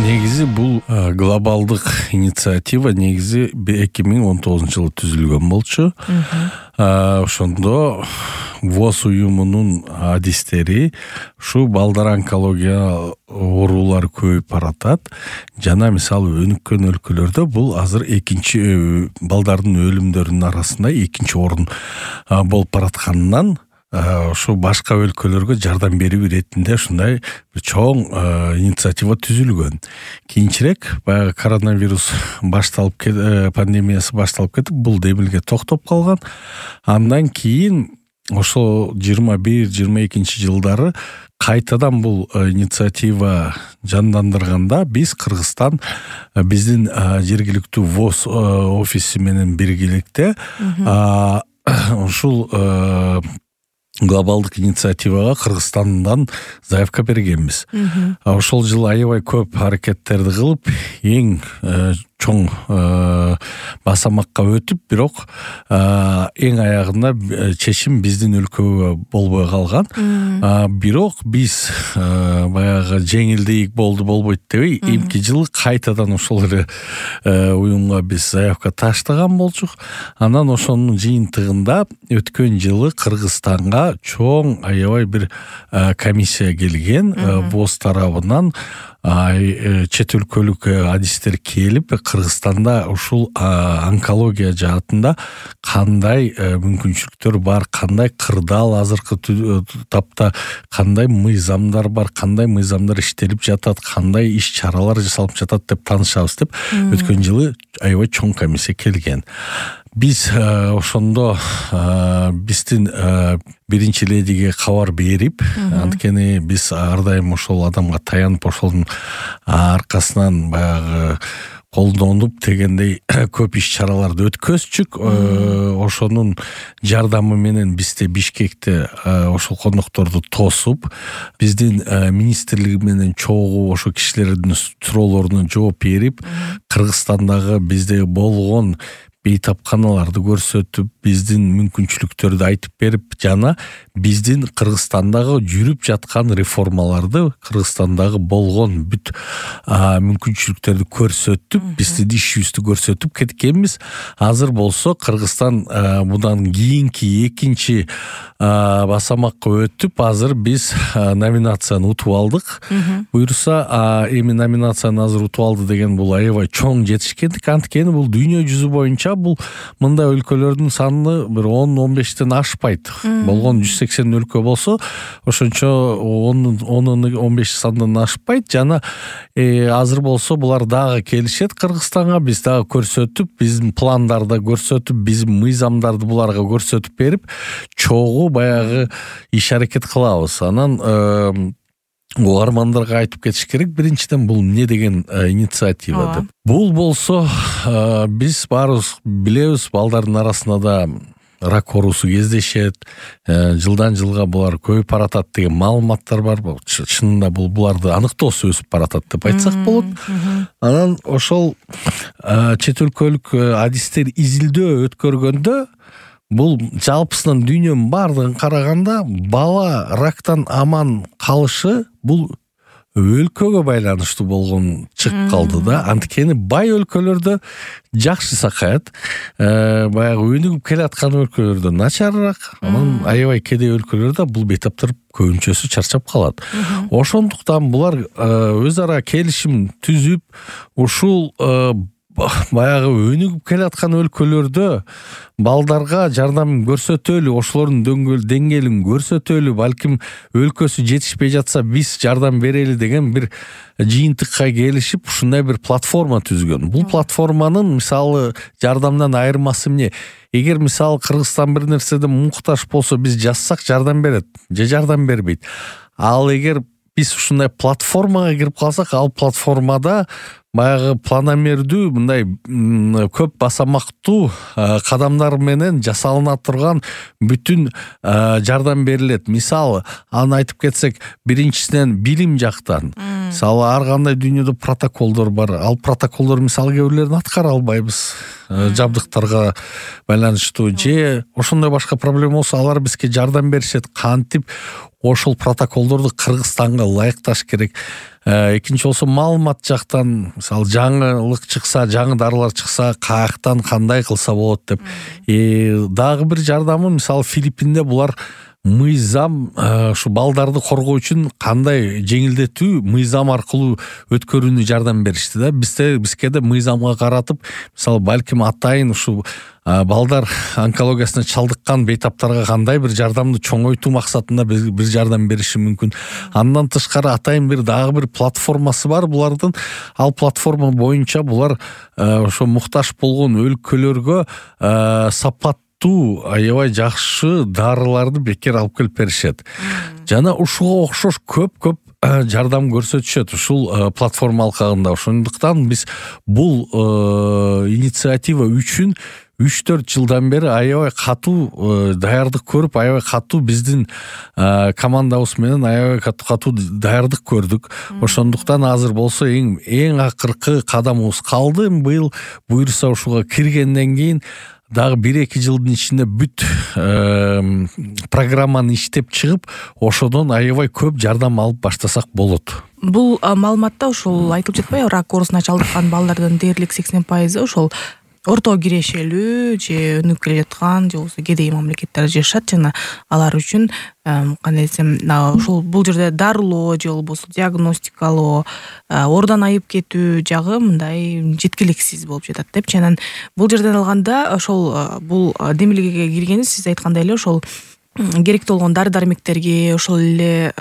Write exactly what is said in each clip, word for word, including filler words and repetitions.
негизи бул глобалдык инициатива негизи эки миң он тогузунчу жылы түзүлгөн болчу. Ошондо ВОЗ уюмунун адистери ушу балдар онкология оорулары көбөйүп баратат. Жана мисалы өнүккөн өлкөлөрдө бул азыр экинчи балдардын өлүмдөрүнүн арасында экинчи орун болуп баратканынан ошо башка өлкөлөргө жардам берүү иретинде ушундай чоң инициатива түзүлгөн. Кийинчерээк баягы коронавирус башталып пандемиясы башталып кетип, бул демилге токтоп калган. Андан кийин ошо жыйырма бир жыйырма экинчи жылдары кайтадан бул инициатива жандандырганда биз Кыргызстан биздин жергиликтүү ВОЗ офиси менен биргеликте ушул глобалдык инициативага Кыргызстандан заявка бергенбиз. Ошол жылы аябай көп аракеттерди кылып, эң чоң басамакка өтүп, бирок эң аягында чечим биздин өлкөгө болбой калган. Бирок биз баягы жеңилдейик болду болбойт дебей, эмки жылы кайтадан ошол эле уюмга биз заявка таштаган болчук. Анан ошонун жыйынтыгында өткөн жылы Кыргызстанга чоң аябай бир комиссия келген ВОЗ тарабынан. Чет өлкөлүк адистер келип, Кыргызстанда ушул онкология жаатында кандай мүмкүнчүлүктөр бар, кандай кырдаал азыркы тапта, кандай мыйзамдар бар, кандай мыйзамдар иштелип жатат, кандай иш чаралар жасалып жатат деп таанышабыз деп өткөн жылы аябай чоң комиссия келген. Биз ошондо биздин биринчи ледиге кабар берип, анткени биз ар дайым ошол адамга таянып, ошонун аркасынан баягы колдонуп дегендей көп иш чараларды өткөзчүк. Ошонун жардамы менен бизде Бишкекте ошол кондокторду тосуп, биздин министрлиги менен чогуу ошо кишилердин суроолоруна жооп берип, Кыргызстандагы бизде болгон бейтапканаларды көрсөтүп, биздин мүмкүнчүлүктөрдү айтып берип, жана биздин Кыргызстандагы жүрүп жаткан реформаларды, Кыргызстандагы болгон бүт мүмкүнчүлүктөрдү көрсөтүп, биздин ишибизди көрсөтүп кеткенбиз. Азыр болсо Кыргызстан мындан кийинки экинчи басамакка өтүп, азыр биз номинацияны утуп алдык. Буюрса, эми номинацияны азыр утуп алды деген бул аябай чоң жетишкендик. Анткени бул дүйнө жүзү боюнча бул мындай өлкөлөрдүн саны бир он он бештен ашпайт. Болгон жүз сексен өлкө болсо, ошончо он он беш сандан ашпайт. Жана азыр болсо булар дагы келишет Кыргызстанга, биз дагы көрсөтүп, биздин пландарды көрсөтүп, биздин мыйзамдарды буларга көрсөтүп берип, чогуу баягы иш аракет кылабыз. Анан угармандарга айтып кетиш керек, биринчиден бул эмне деген инициатива деп. Бул болсо биз баарыбыз билебиз, балдардын арасында да рак оорусу кездешет, жылдан жылга булар көбөйүп баратат деген маалыматтар бар. Чынында бул буларды аныктоосу өсүп баратат деп айтсак болот. Анан ошол чет өлкөлүк адистер изилдөө өткөргөндө, бул жалпысынан дүйнөнүн бардыгын караганда бала рактан аман калышы бул өлкөгө байланыштуу болгон чыгып калды да. Анткени бай өлкөлөрдө жакшы сакаят, баягы өнүгүп келаткан өлкөлөрдө начарыраак, анан аябай кедей өлкөлөрдө бул бейтаптар көбүнчөсү чарчап калат. Ошондуктан булар өз ара келишим түзүп, ушул баягы өнүгүп келаткан өлкөлөрдө балдарга жардам көрсөтөлү, ошолордун деңгээлин көрсөтөлү, балким өлкөсү жетишпей жатса биз жардам берели деген бир жыйынтыкка келишип, ушундай бир платформа түзгөн. Бул платформанын мисалы жардамдан айырмасы эмне? Эгер мисалы Кыргызстан бир нерседен муктаж болсо, биз жазсак жардам берет, же жардам бербейт. Ал эгер биз ушундай платформага кирип калсак, ал платформада баягы планомердүү, мындай көп басамактуу кадамдар менен жасалына турган бүтүн жардам берилет. Мисалы, аны айтып кетсек, биринчисинен билим жактан, Мисалы ар кандай дүйнөдө протоколдор бар. Ал протоколдор мисалы кээ бирлерин аткара албайбыз. Жабдыктарга байланыштуу же ошондой башка проблема болсо алар бизге жардам беришет. Кантип ошол протоколдорду Кыргызстанга ылайыкташ керек. Экинчи болсо маалымат жактан мисалы жаңылык чыкса, жаңы дарылар чыкса, каяктан кандай кылса болот деп. Дагы бир жардамы мисалы Филиппинде булар мыйзам ушу балдарды коргоо үчүн кандай жеңилдетүү мыйзам аркылуу өткөрүүнү жардам беришти да. Бизде бизге да мыйзамга каратып, мисалы балким атайын ушу балдар онкологиясына чалдыккан бейтаптарга кандай бир жардамды чоңойтуу максатында бир жардам бериши мүмкүн. Андан тышкары атайын бир дагы бир платформасы бар булардын. Ал платформа боюнча булар ошо муктаж болгон өлкөлөргө сапат аябай жакшы дарыларды бекер алып келип беришет. Жана ушуга окшош көп-көп жардам көрсөтүшөт ушул платформа алкагында. Ошондуктан биз бул инициатива үчүн үч төрт жылдан бери аябай катуу даярдык көрүп, аябай катуу биздин командабыз менен аябай катуу даярдык көрдүк. Ошондуктан азыр болсо эң эң акыркы кадамыбыз калды. Быйыл буюрса ушуга киргенден кийин дагы бир-эки жылдын ичинде бүт программаны иштеп чыгып, ошодон аябай көп жардам алып баштасак болот. Бул маалыматта ошол айтылып жатпайбы, рак оорусуна чалдыккан балдардын дээрлик сексен пайызы ошол орто кирешелүү же өнүгүп келе жаткан же болбосо кедей мамлекеттерде жашашат. Жана алар үчүн кандай десем, ушул бул жерде дарылоо же болбосо диагностикалоо, оордон айып кетүү жагы мындай жеткиликсиз болуп жатат деп. Жана бул жерден алганда ошол бул демилгеге киргени сиз айткандай эле ошол керектүү болгон дары-дармектерге, ошол эле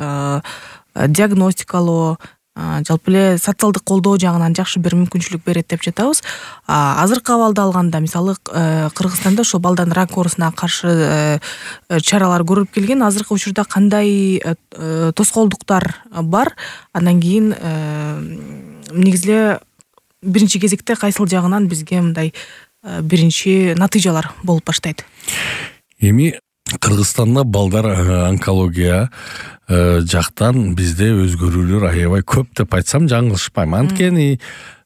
диагностикалоо, жалпы эле социалдык колдоо жагынан жакшы бир мүмкүнчүлүк берет деп жатабыз. Азыркы абалда алганда, мисалы Кыргызстанда ошо балдардын рак оорусуна каршы чаралар көрүлүп келген. Азыркы учурда кандай тоскоолдуктар бар? Андан кийин негизи эле биринчи кезекте кайсыл жагынан бизге мындай биринчи натыйжалар болуп баштайт? Эми Кыргызстанда балдар онкология жактан бизде өзгөрүүлөр аябай көп деп айтсам жаңылышпайм. Анткени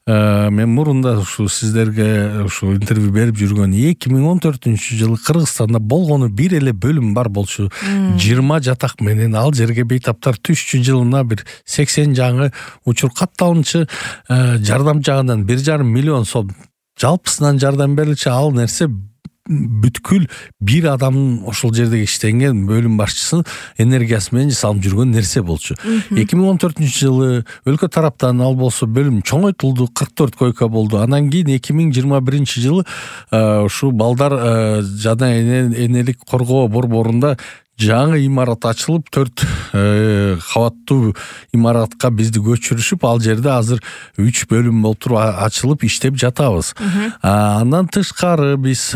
мен мурунда ушу сиздерге ушу интервью берип жүргөн эки миң он төртүнчү жылы Кыргызстанда болгону бир эле бөлүм бар болчу. жыйырма жатак менен ал жерге бейтаптар түшчү, жылына бир сексен жаңы учур катталынчы, жардам жагынан бир жарым миллион сом жалпысынан жардам берилчү. Ал нерсе бүткүл бир адамдын ошол жерде иштенген бөлүм башчысынын энергиясы менен жасалып жүргөн нерсе болчу. эки миң он төртүнчү жылы өлкө тараптан ал болсо бөлүм чоңойтулду, кырк төрт койка болду. Андан кийин эки миң жыйырма биринчи жылы ушу балдар жана энелик коргоо борборунда жаңы имарат ачылып, төрт кабаттуу имаратка бизди көчүрүшүп, ал жерде азыр үч бөлүм болуп туруп ачылып иштеп жатабыз. Андан тышкары биз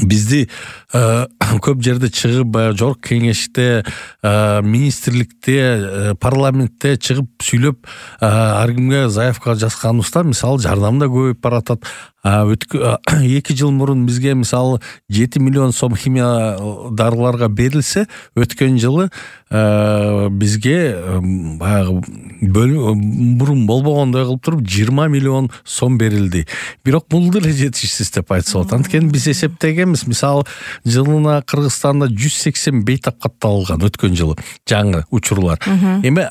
бизди көп жерде чыгып, жогорку кеңеште, министрликте, парламентте чыгып сүйлөп, ар кимге заявка жазганыбызда мисалы жардам да көбөйүп баратат. эки жыл мурун бизге мисалы жети миллион сом химия дарыларга берилсе, өткөн жылы бизге баягы мурун болбогондой кылып туруп жыйырма миллион сом берилди. Бирок бул деле жетишсиз деп айтса болот. Анткени биз эсептегенбиз, мисалы жылына Кыргызстанда жүз сексен бейтап катталган өткөн жылы жаңы учурлар. Эми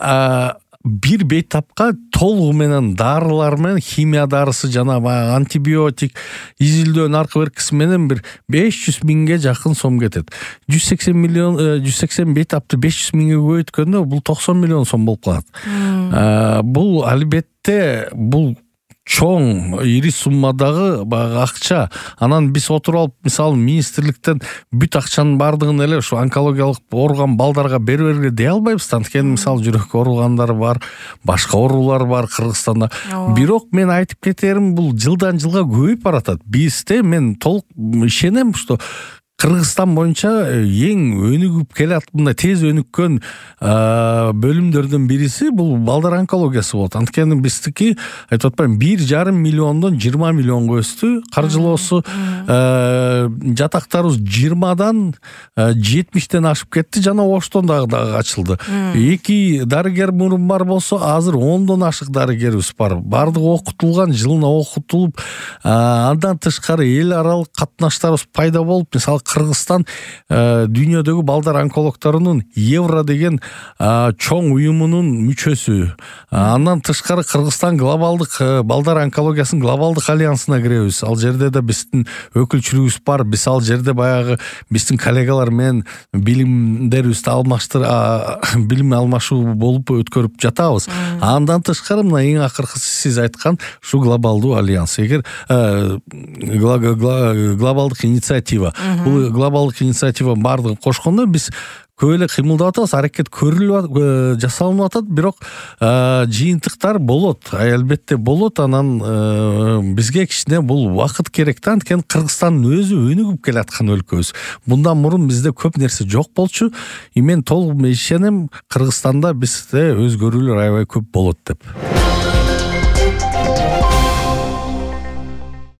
бир бейтапка толугу менен дарылар менен химия дарысы жана баягы антибиотик, изилдөө наркы беркиси менен бир беш жүз миңге жакын сом кетет. жүз сексен миллион жүз сексен бейтапты беш жүз миңге көбөйткөндө бул токсон миллион сом болуп калат. Бул албетте бул чоң ири суммадагы баягы акча. Анан биз отуруп алып, мисалы министрликтен бүт акчанын бардыгын эле ушу онкологиялык ооруган балдарга бере бергиле дей албайбыз. Анткени мисалы жүрөк ооругандар бар, башка оорулар бар Кыргызстанда. Бирок мен айтып кетерим, бул жылдан жылга көбөйүп баратат. Бизде мен толук ишенем, что Кыргызстан боюнча эң өнүгүп келат мындай тез өнүккөн бөлүмдөрдүн бириси бул балдар онкологиясы болот. Анткени биздики айтып атпайм бир жарым миллиондон жыйырма миллионго өстү. Каржылоосу жатактарыбыз жыйырмадан жетимиштен ашып кетти жана Оштон дагы ачылды. Эки дарыгер мурун бар болсо азыр ондон ашык дарыгерибиз бар. Бардыгы окутулган, жылына окутулуп, андан тышкары эл аралык катнаштарыбыз пайда болуп, мисалы Кыргызстан дүйнөдөгү балдар онкологторунун Евро деген чоң уюмунун мүчөсү. Андан тышкары Кыргызстан глобалдык балдар онкологиясынын глобалдык альянсына киребиз. Ал жерде да биздин өкүлчүлүгүбүз бар. Биз ал жерде баягы биздин коллегалар менен билимдерибизди алмаштыр, билим алмашуу болуп өткөрүп жатабыз. Андан тышкары мына эң акыркысы сиз айткан ушу глобалдуу альянс. Эгер глобалдык инициатива, бул глобалдык инициатива бардыгын кошкондо биз көп эле кыймылдап атабыз, аракет көрүлүп жасалынып атат, бирок жыйынтыктар болот, албетте болот. Анан бизге кичине бул убакыт керек да, анткени Кыргызстандын өзү өнүгүп келаткан өлкөбүз. Мындан мурун бизде көп нерсе жок болчу. Мен толук ишенем, Кыргызстанда бизде өзгөрүүлөр аябай көп болот деп.